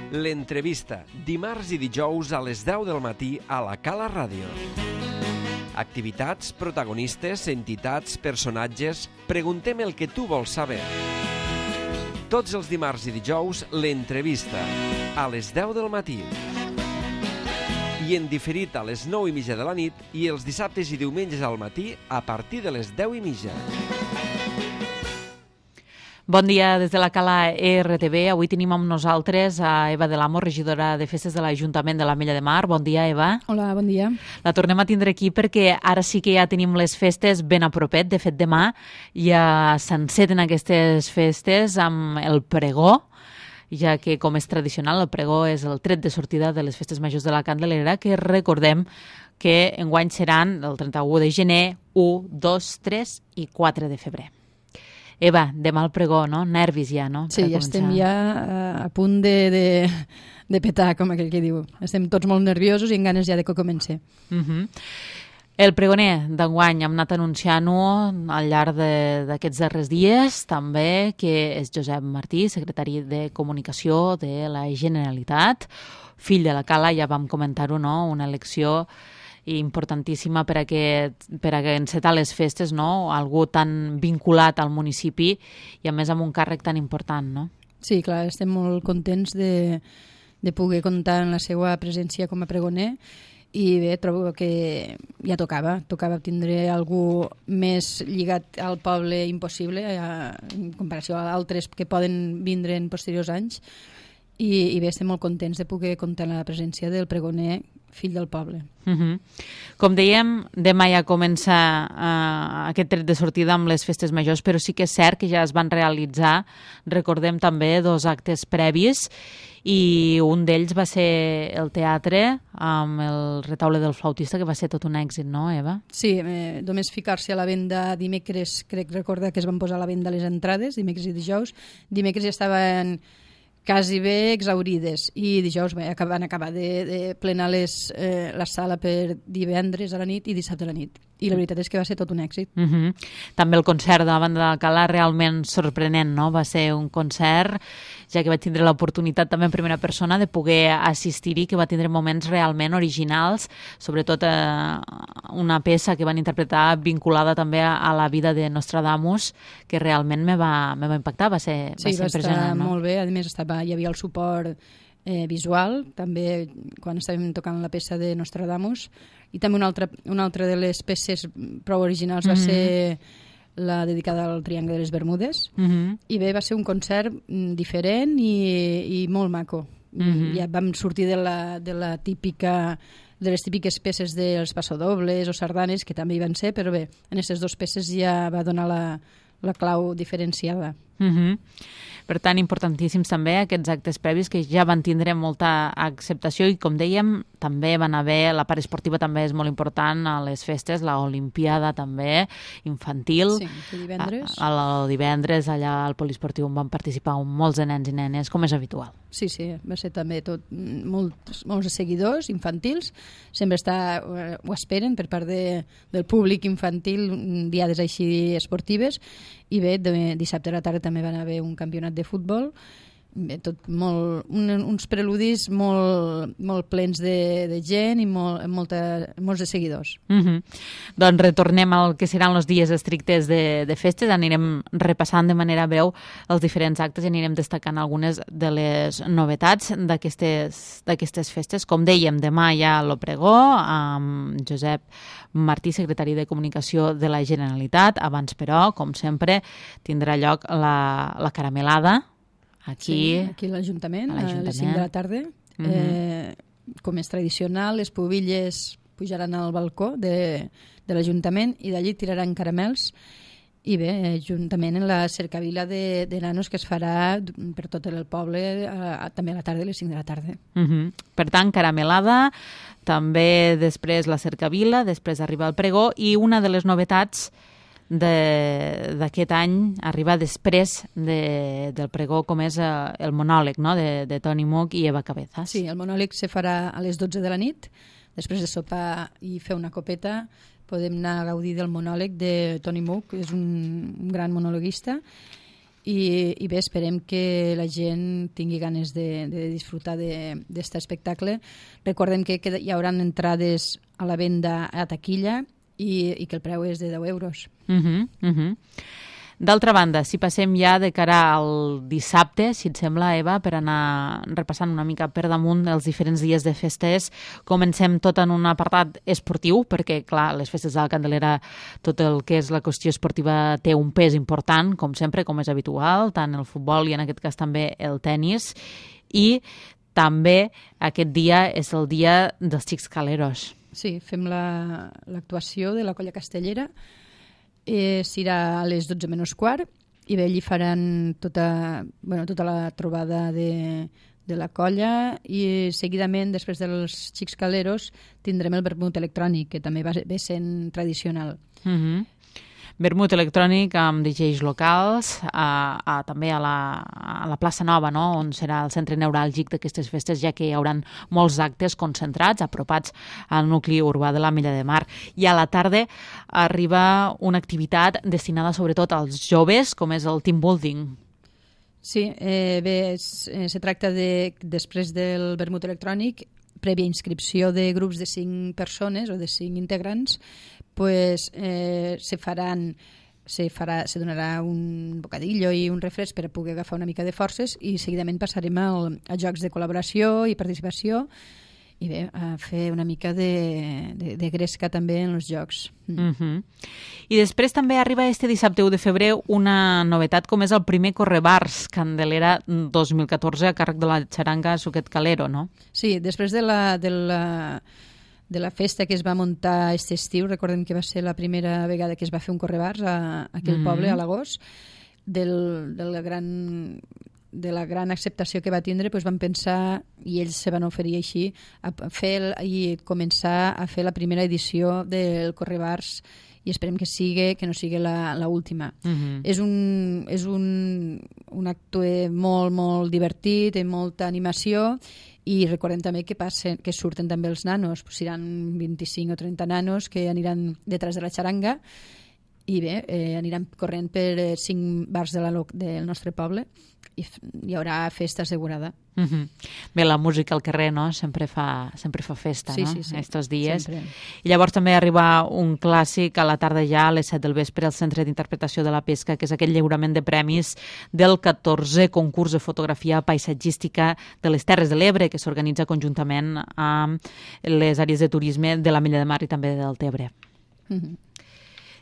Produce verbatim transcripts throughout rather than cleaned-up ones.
L'entrevista, dimarts i dijous a les deu del matí a la Cala Ràdio. Activitats, protagonistes, entitats, personatges... Preguntem el que tu vols saber. Tots els dimarts i dijous, l'entrevista, a les deu del matí. I en diferit a les nou i mitja de la nit i els dissabtes i diumenges al matí a partir de les deu i mitja. Bon dia des de la Cala E R T V. Avui tenim amb nosaltres a Eva de l'Amo, regidora de Festes de l'Ajuntament de l'Ametlla de Mar. Bon dia, Eva. Hola, bon dia. La tornem a tindre aquí perquè ara sí que ja tenim les festes ben a propet. De fet, demà ja s'enceten aquestes festes amb el pregó, ja que, com és tradicional, el pregó és el tret de sortida de les festes majors de la Candelera, que recordem que enguany seran el trenta-u de gener, u, dos, tres i quatre de febrer. Eva, demà el pregó, no? Nervis ja, no? Sí, ja estem ja a punt de, de, de petar, com aquell que diu. Estem tots molt nerviosos i amb ganes ja de que comenci. Uh-huh. El pregoner d'enguany hem anat anunciant-ho al llarg d'aquests darrers dies, també, que és Josep Martí, secretari de Comunicació de la Generalitat, fill de la Cala, ja vam comentar-ho, no? Una elecció importantíssima per a, que, per a que encetar les festes, no? Algú tan vinculat al municipi i a més amb un càrrec tan important, no? Sí, clar, estem molt contents de, de poder comptar en la seva presència com a pregoner i bé, trobo que ja tocava, tocava tindre algú més lligat al poble impossible a, en comparació a altres que poden vindre en posteriors anys i, i bé, estem molt contents de poder comptar en la presència del pregoner fill del poble. Uh-huh. Com dèiem, demà ja comença uh, aquest tret de sortida amb les festes majors, però sí que és cert que ja es van realitzar, recordem també, dos actes previs i un d'ells va ser el teatre amb el retaule del flautista, que va ser tot un èxit, no, Eva? Sí, eh, només ficar-se a la venda dimecres, crec recordar que es van posar a la venda les entrades, dimecres i dijous. Dimecres ja estaven quasi bé exaurides i dijous bé, van acabar de, de plenar les, eh, la sala per divendres a la nit i dissabte a la nit. I la veritat és que va ser tot un èxit. Uh-huh. També el concert de la banda de la Cala realment sorprenent, no? Va ser un concert, ja que vaig tindre l'oportunitat també en primera persona de poder assistir-hi, que va tindre moments realment originals, sobretot eh, una peça que van interpretar vinculada també a la vida de Nostradamus, que realment me va, me va impactar, va ser, sí, va ser va impressionant. Estar no? molt bé, a més estava, hi havia el suport eh, visual, també quan estàvem tocant la peça de Nostradamus, i també una altra, una altra de les peces prou originals va mm-hmm. ser la dedicada al Triangle de les Bermudes, mm-hmm. i bé, va ser un concert diferent i, i molt maco. Mm-hmm. Ja vam sortir de la, de la típica de les típiques peces dels passodobles o sardanes, que també hi van ser, però bé, en aquestes dues peces ja va donar la, la clau diferenciada. Mm-hmm. Per tant, importantíssims també aquests actes previs que ja van tindre molta acceptació i, com dèiem, també van haver, la part esportiva també és molt important a les festes, la Olimpiada també, infantil. Sí, divendres. A, a, a divendres, allà al poliesportiu on van participar molts de nens i nenes, com és habitual. Sí, sí, va ser també tot molts, molts seguidors infantils, sempre està, ho esperen per part de, del públic infantil, diades així esportives, i bé, de, dissabte a la tarda també van haver un campionat de futbol, bé, tot molt, un, uns preludis molt, molt plens de, de gent i molt, molta, molts de seguidors. Mm-hmm. Doncs retornem al que seran els dies estrictes de, de festes, anirem repassant de manera breu els diferents actes i anirem destacant algunes de les novetats d'aquestes d'aquestes festes. Com dèiem, demà hi ha el pregó amb Josep Martí, secretari de Comunicació de la Generalitat. Abans, però, com sempre, tindrà lloc la, la caramelada, aquí, sí, aquí a l'Ajuntament, a, a les cinc de la tarda. Uh-huh. eh, com és tradicional, les pubilles pujaran al balcó de, de l'Ajuntament i d'allí tiraran caramels i bé, juntament en la cercavila de, de nanos que es farà per tot el poble a, també a la tarda, a les cinc de la tarda. Uh-huh. Per tant, caramelada, també després la cercavila, després arriba el pregó i una de les novetats d'aquest any arriba després de, del pregó, com és uh, el monòleg, no? de, de Toni Much i Eva Cabezas. Sí, el monòleg se farà a les dotze de la nit, després de sopar i fer una copeta podem anar a gaudir del monòleg de Toni Much, que és un, un gran monologuista, i, i bé, esperem que la gent tingui ganes de, de disfrutar d'aquest espectacle. Recordem que, que hi haurà entrades a la venda a taquilla i, i que el preu és de deu euros. Uh-huh, uh-huh. D'altra banda, si passem ja de cara al dissabte, si et sembla, Eva, per anar repassant una mica per damunt els diferents dies de festes, comencem tot en un apartat esportiu, perquè, clar, les festes de la Candelera, tot el que és la qüestió esportiva té un pes important, com sempre, com és habitual, tant el futbol i en aquest cas també el tennis, i també aquest dia és el dia dels Xics Caleros. Sí, fem l'actuació la, de la Colla Castellera. Eh, serà a les dotze menys quart i bé, allí faran tota, bueno, tota la trobada de, de la colla i seguidament, després dels Xics Caleros, tindrem el vermut electrònic, que també va ve sent tradicional. Mm-hmm. Vermut electrònic amb D Js locals, a, a, també a la, a la plaça Nova, no? On serà el centre neuràlgic d'aquestes festes, ja que hi haurà molts actes concentrats, apropats al nucli urbà de l'Ametlla de Mar. I a la tarda arriba una activitat destinada sobretot als joves, com és el team building. Sí, eh, bé, es, eh, se tracta de, després del vermut electrònic, prèvia inscripció de grups de cinc persones o de cinc integrants, pues, eh, se faran se, farà, se donarà un bocadillo i un refresc per a poder agafar una mica de forces i seguidament passarem al, a jocs de col·laboració i participació i bé, a fer una mica de, de, de gresca també en els jocs. Mm. Mm-hmm. I després també arriba este dissabte u de febrer una novetat com és el primer Correbars Candelera dos mil catorze a càrrec de la xaranga Suquet Calero, no? Sí, després de la, de la de la festa que es va muntar aquest estiu, recordem que va ser la primera vegada que es va fer un correbars a, a aquell mm-hmm. poble, a l'agost, del, del gran, de la gran acceptació que va tindre, doncs van pensar, i ells se van oferir així, a fer el, i començar a fer la primera edició del correbars i esperem que sigui, que no sigui l'última. Mm-hmm. És un, és un, un acte molt, molt divertit, amb molta animació, i recordem també que passen, que surten també els nanos, pues seran vint-i-cinc o trenta nanos que aniran detrás de la xaranga i bé, eh, aniran corrent per eh, cinc bars de la, del nostre poble i hi haurà festa assegurada. Mm-hmm. Bé, la música al carrer, no? Sempre fa, sempre fa festa, sí, no? Sí, sí, estos dies. Sempre. I llavors també arriba un clàssic a la tarda ja, a les set del vespre, al Centre d'Interpretació de la Pesca, que és aquest lliurament de premis del catorzè concurs de fotografia paisatgística de les Terres de l'Ebre, que s'organitza conjuntament amb les àrees de turisme de l'Ametlla de Mar i també del Tebre. Mm-hmm.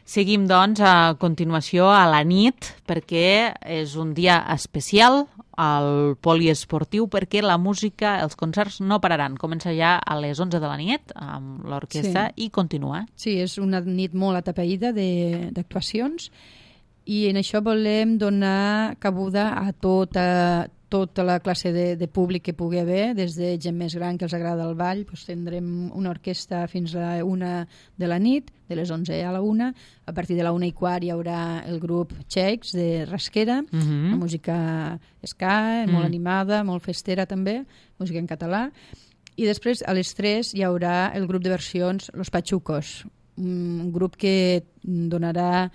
Seguim, doncs, a continuació a la nit, perquè és un dia especial al poliesportiu, perquè la música, els concerts no pararan. Comença ja a les onze de la nit amb l'orquestra sí. i continua. Sí, és una nit molt atapeïda d'actuacions i en això volem donar cabuda a tota, tota la classe de, de públic que pugui haver, des de gent més gran que els agrada el ball, doncs tindrem una orquestra fins a la una de la nit, de les onze a la una. A partir de la una i quart hi haurà el grup Txecs de Rasquera, mm-hmm. la música ska, mm. molt animada, molt festera també, música en català. I després a les tres hi haurà el grup de versions Los Pachucos, un grup que donarà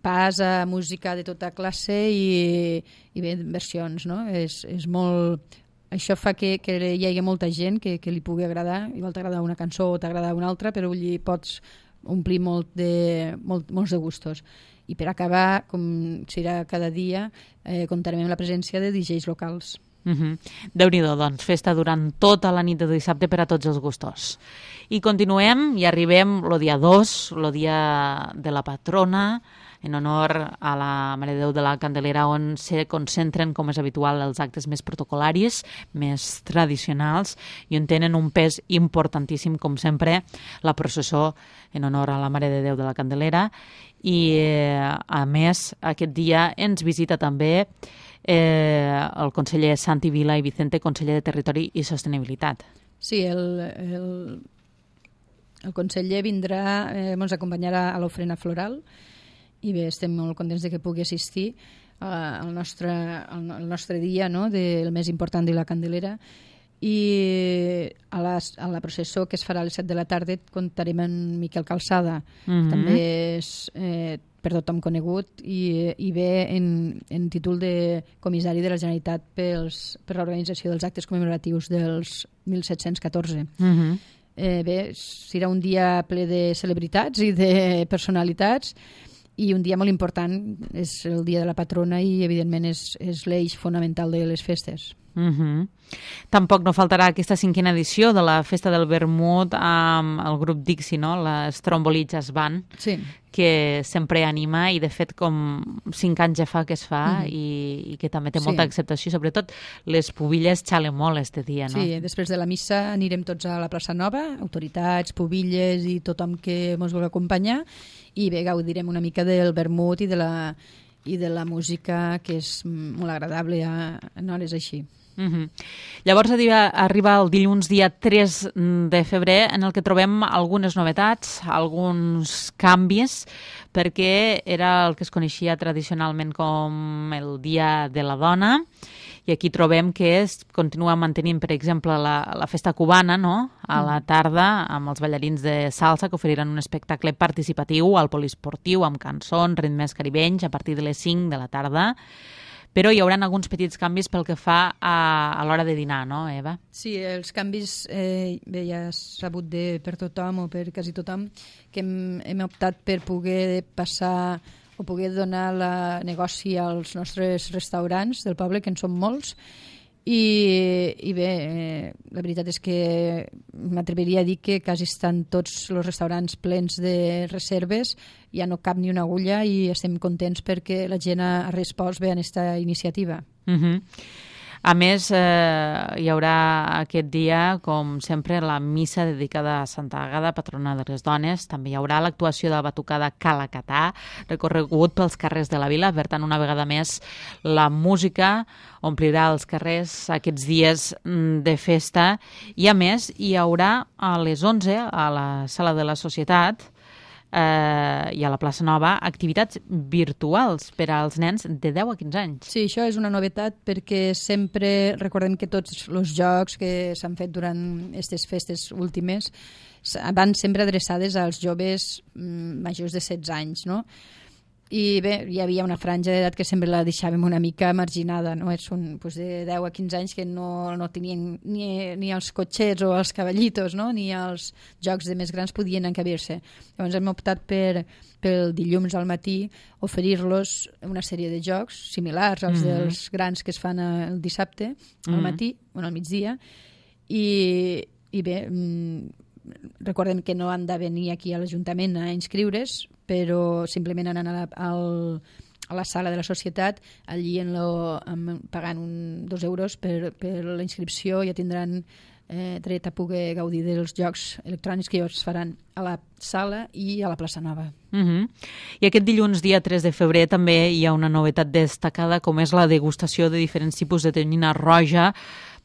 pas a música de tota classe i, i bé, versions, no? És, és molt... Això fa que, que hi hagi molta gent que, que li pugui agradar. Igual t'agrada una cançó o t'agrada una altra, però allí pots omplir molt de, molt, molts de gustos. I per acabar, com serà cada dia, eh, comptarem amb la presència de D Js locals. Mm-hmm. Déu-n'hi-do, doncs, festa durant tota la nit de dissabte per a tots els gustos. I continuem i arribem el dia dos, el dia de la patrona, en honor a la Mare de Déu de la Candelera, on se concentren, com és habitual, els actes més protocolaris, més tradicionals, i on tenen un pes importantíssim, com sempre, la processó en honor a la Mare de Déu de la Candelera. I, eh, a més, aquest dia ens visita també eh, el conseller Santi Vila i Vicente, conseller de Territori i Sostenibilitat. Sí, el, el, el conseller vindrà, eh, ens acompanyarà a l'ofrena floral, i bé, estem molt contents de que pugui assistir uh, al, nostre, al, al nostre dia, no?, del més important de la Candelera, i a la, a la processó que es farà a les set de la tarda comptarem amb Miquel Calçada. Mm-hmm. També és eh, per tothom conegut i, i ve en, en títol de comissari de la Generalitat pels, per l'organització dels actes commemoratius dels mil set-cents catorze. Mm-hmm. Eh, bé, serà un dia ple de celebritats i de personalitats i un dia molt important, és el dia de la patrona i evidentment és, és l'eix fonamental de les festes. Mm-hmm. Tampoc no faltarà aquesta cinquena edició de la Festa del Vermut amb el grup Dixie, no? La Stromboli Jazz Band, sí. que sempre anima i de fet com cinc anys ja fa que es fa mm. i, i que també té molta sí. acceptació, sobretot les pubilles xalen molt este dia, no? Sí, després de la missa anirem tots a la plaça Nova, autoritats, pubilles i tothom que ens vulgui acompanyar i bé, gaudirem una mica del vermut i de la, i de la música que és molt agradable a, en hores així. Mm-hmm. Llavors arriba el dilluns dia tres de febrer en el que trobem algunes novetats, alguns canvis, perquè era el que es coneixia tradicionalment com el Dia de la Dona i aquí trobem que es continua mantenint, per exemple, la, la festa cubana, no? A la tarda, amb els ballarins de salsa que oferiran un espectacle participatiu al poliesportiu amb cançons, ritmes caribenys a partir de les cinc de la tarda. Però hi haurà alguns petits canvis pel que fa a, a l'hora de dinar, no, Eva? Sí, els canvis eh, bé, ja és sabut de, per tothom o per quasi tothom que hem, hem optat per poder passar o poder donar la negoci als nostres restaurants del poble, que en són molts, i, i bé, eh, la veritat és que m'atreviria a dir que quasi estan tots els restaurants plens de reserves, ja no cap ni una agulla i estem contents perquè la gent ha respost bé a aquesta iniciativa. Mm-hmm. A més, eh, hi haurà aquest dia, com sempre, la missa dedicada a Santa Àgata, patrona de les dones. També hi haurà l'actuació de la batucada Calacatà, recorregut pels carrers de la vila. Per tant, una vegada més, la música omplirà els carrers aquests dies de festa. I, a més, hi haurà a les onze, a la Sala de la Societat, eh, i a la plaça Nova, activitats virtuals per als nens de deu a quinze anys. Sí, això és una novetat perquè sempre recordem que tots els jocs que s'han fet durant aquestes festes últimes van sempre adreçades als joves majors de setze anys, no? I bé, hi havia una franja d'edat que sempre la deixàvem una mica marginada, no? Són pues, de deu a quinze anys que no, no tenien ni, ni els cotxets o els cavallitos, no? Ni els jocs de més grans podien encabir-se. Llavors hem optat per, pel dilluns al matí oferir-los una sèrie de jocs similars als mm-hmm. dels grans que es fan el dissabte mm-hmm. al matí, o al migdia, i, i bé, recordem que no han de venir aquí a l'Ajuntament a inscriure's, però simplement anant a la, al, a la sala de la societat, allí en lo, en, pagant un, dos euros per, per la inscripció ja tindran eh, dret a poder gaudir dels jocs electrònics que es faran a la sala i a la plaça Nova. Uh-huh. I aquest dilluns, dia tres de febrer, també hi ha una novetat destacada, com és la degustació de diferents tipus de tonyina roja,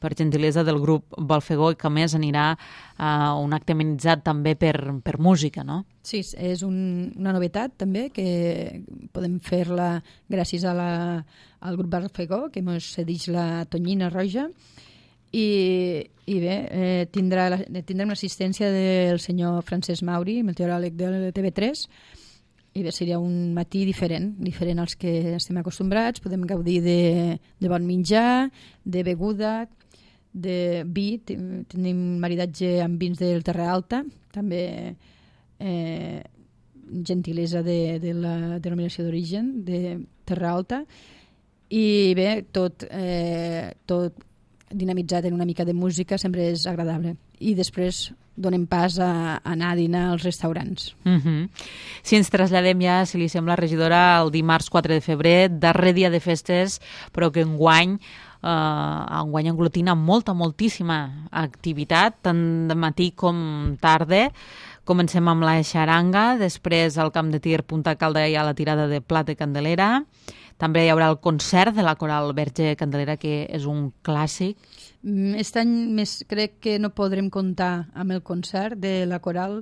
per gentilesa del grup Balfegó, que a més anirà a un acte amenitzat també per, per música, no? Sí, és un, una novetat també, que podem fer-la gràcies a la, al grup Balfegó, que ens cedeix la tonyina roja, i, i bé, eh, tindrà la, tindrem l'assistència del senyor Francesc Mauri, meteoròleg del T V tres, i bé, seria un matí diferent, diferent als que estem acostumbrats. Podem gaudir de, de bon menjar, de beguda, de vi, tenim maridatge amb vins del Terra Alta, també eh, gentilesa de, de la denominació d'origen de Terra Alta, i bé, tot, eh, tot dinamitzat en una mica de música sempre és agradable. I després donem pas a, a anar a dinar als restaurants. Mm-hmm. Si ens traslladem ja, si li sembla, regidora, el dimarts quatre de febrer, darrer dia de festes, però que enguany Uh, enguany englotina molta, moltíssima activitat, tant de matí com tarda. Comencem amb la xaranga, després al camp de tir Punta Calda hi ha la tirada de plat de Candelera, també hi haurà el concert de la Coral Verge Candelera, que és un clàssic. Aquest any més crec que no podrem comptar amb el concert de la Coral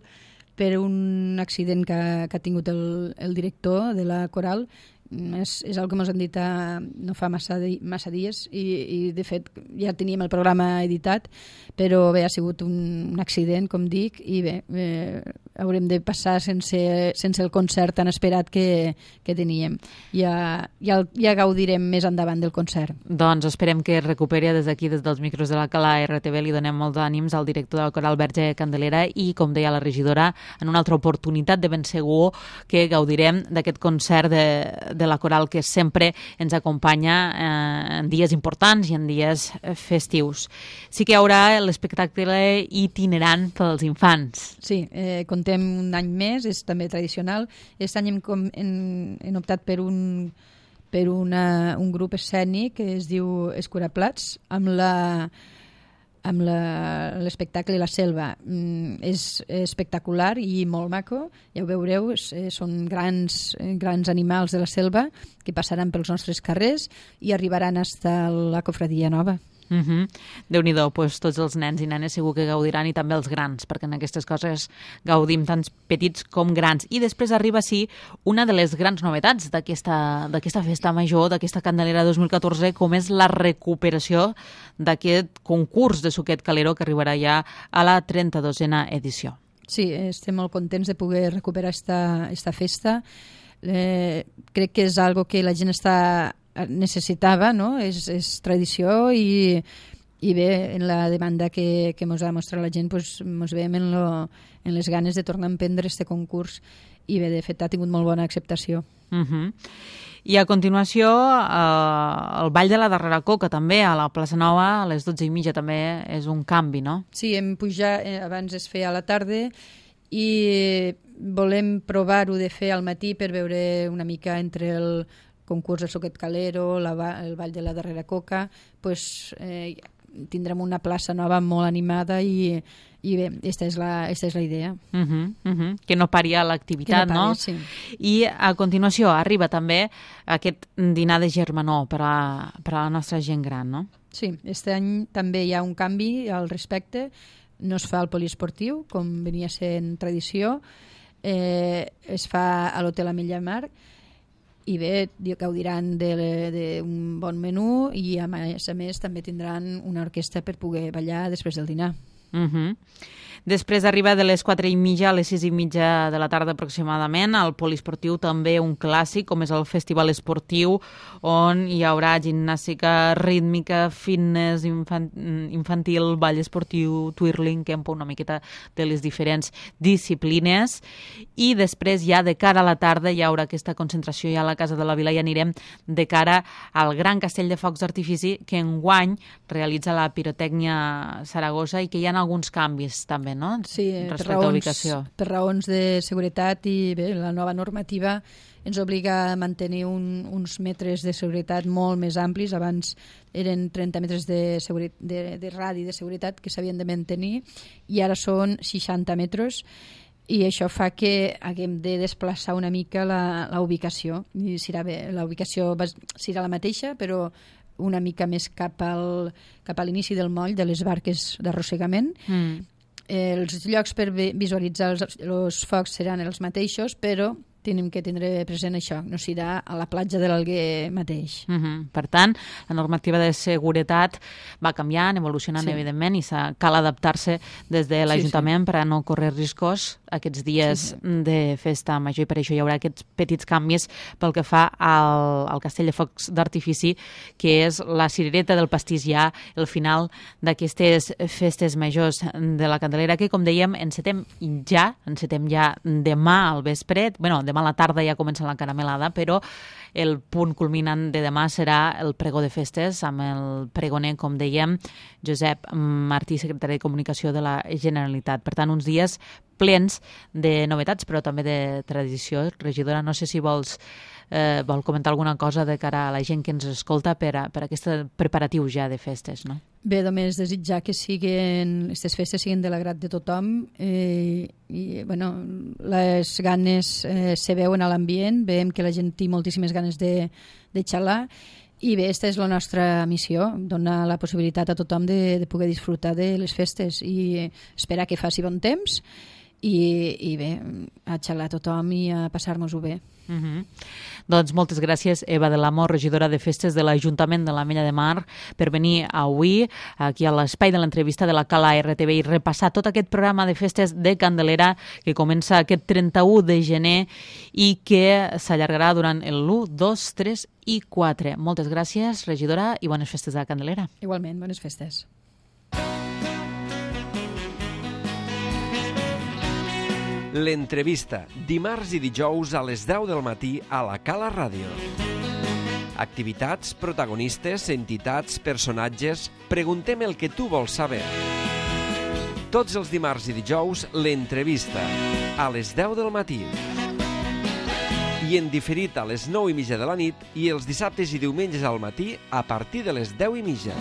per un accident que, que ha tingut el, el director de la Coral, és, és el que ens han dit a, no fa massa, di, massa dies i, i de fet ja teníem el programa editat, però bé, ha sigut un, un accident, com dic, i bé, eh, haurem de passar sense, sense el concert tan esperat que, que teníem. Ja, ja, ja gaudirem més endavant del concert. Doncs esperem que es recuperi. Des d'aquí, des dels micros de la Cala R T V, li donem molts ànims al director del Coral Verge Candelera i, com deia la regidora, en una altra oportunitat de ben segur que gaudirem d'aquest concert de, de la Coral que sempre ens acompanya eh, en dies importants i en dies festius. Sí que hi haurà l'espectacle itinerant pels infants. Sí, eh, contem un any més, és també tradicional. Aquest any hem, com, hem, hem optat per un, per una, un grup escènic que es diu Escuraplats, amb la amb l'espectacle La Selva. Mm, és espectacular i molt maco, ja ho veureu, és, són grans, grans animals de la selva que passaran pels nostres carrers i arribaran fins a la Cofradia Nova. Uh -huh. Déu-n'hi-do, pues, tots els nens i nenes segur que gaudiran, i també els grans, perquè en aquestes coses gaudim tant petits com grans. I després arriba, sí, una de les grans novetats d'aquesta d'aquesta festa major, d'aquesta Candelera dos mil catorze, com és la recuperació d'aquest concurs de suquet calero que arribarà ja a la trenta-dosena edició. Sí, estem molt contents de poder recuperar esta, esta festa. Eh, crec que és algo que la gent està necessitava, no? És, és tradició i, i bé, en la demanda que, que ens ha mostrat la gent, pues, ens veiem en, lo, en les ganes de tornar a emprendre este concurs i bé, de fet ha tingut molt bona acceptació. Uh -huh. I a continuació eh, el Ball de la Darrera Coca també a la plaça Nova a les dotze i mitja també és un canvi, no? Sí, hem pujat, eh, abans es feia a la tarda i volem provar-ho de fer al matí per veure una mica entre el concurs del suquet calero, la, el Ball de la Darrera Coca, pues, eh, tindrem una plaça nova molt animada i, i bé, aquesta és la, esta és la idea. Uh -huh, uh -huh. Que no paria l'activitat, no? Pari, no? Sí. I a continuació arriba també aquest dinar de germanor per a, per a la nostra gent gran, no? Sí, este any també hi ha un canvi al respecte, no es fa al poliesportiu, com venia sent tradició, eh, es fa a l'Hotel Ametlla Mar, i bé, gaudiran d'un bon menú i a més a més també tindran una orquestra per poder ballar després del dinar. Uh -huh. Després arriba de les quatre i mitja a les sis i mitja de la tarda aproximadament al poliesportiu també un clàssic com és el Festival Esportiu, on hi haurà gimnàstica rítmica, fitness infant infantil, ball esportiu, twirling, campo, una miqueta de les diferents disciplines. I després ja de cara a la tarda hi haurà aquesta concentració ja a la Casa de la Vila i anirem de cara al gran castell de focs d'artifici que enguany realitza la Pirotècnia Saragossa i que hi ha alguns canvis també, no? Sí, respecte per raons, a ubicació. per raons de seguretat i bé, la nova normativa ens obliga a mantenir un, uns metres de seguretat molt més amplis. Abans eren trenta metres de, de, de radi de seguretat que s'havien de mantenir i ara són seixanta metres i això fa que haguem de desplaçar una mica la, la ubicació. I serà bé, la ubicació va, serà la mateixa, però una mica més cap al, cap a l'inici del moll de les barques d'arrossegament. Mm. Eh, els llocs per visualitzar els, els focs seran els mateixos, però tenim que tindre present això, no serà a la platja de l'Alguer mateix. Uh -huh. Per tant, la normativa de seguretat va canviant, evolucionant, sí. evidentment, i cal adaptar-se des de l'Ajuntament sí, sí. per a no córrer riscos aquests dies sí, sí. de festa major, i per això hi haurà aquests petits canvis pel que fa al, al Castell de Focs d'Artifici, que és la cirereta del pastís ja, el final d'aquestes festes majors de la Candelera, que, com dèiem, encetem ja, encetem ja demà al vespre, bueno, demà a la tarda ja comença la caramelada, però el punt culminant de demà serà el pregó de festes amb el pregoner, com dèiem, Josep Martí, secretari de Comunicació de la Generalitat. Per tant, uns dies plens de novetats, però també de tradició. Regidora, no sé si vols eh, vol comentar alguna cosa de cara a la gent que ens escolta per a, per a aquest preparatiu ja de festes, no? Bé, només desitjar que siguin, aquestes festes siguin de l'agrat de tothom eh, i, bueno, les ganes eh, se veuen a l'ambient, veiem que la gent té moltíssimes ganes de, de xalar i bé, aquesta és la nostra missió, donar la possibilitat a tothom de, de poder disfrutar de les festes i esperar que faci bon temps i, i bé, a xalar a tothom i a passar-nos-ho bé. Uh-huh. Doncs moltes gràcies, Eva de l'Amo, regidora de Festes de l'Ajuntament de l'Ametlla de Mar, per venir avui aquí a l'espai de l'entrevista de la Cala R T V i repassar tot aquest programa de festes de Candelera que comença aquest trenta-u de gener i que s'allargarà durant el u, dos, tres i quatre. Moltes gràcies, regidora, i bones festes a Candelera. Igualment, bones festes. L'entrevista, dimarts i dijous a les deu del matí a la Cala Ràdio. Activitats, protagonistes, entitats, personatges... Preguntem el que tu vols saber. Tots els dimarts i dijous, l'entrevista, a les deu del matí. I en diferit a les nou i mitja de la nit i els dissabtes i diumenges al matí a partir de les deu i mitja.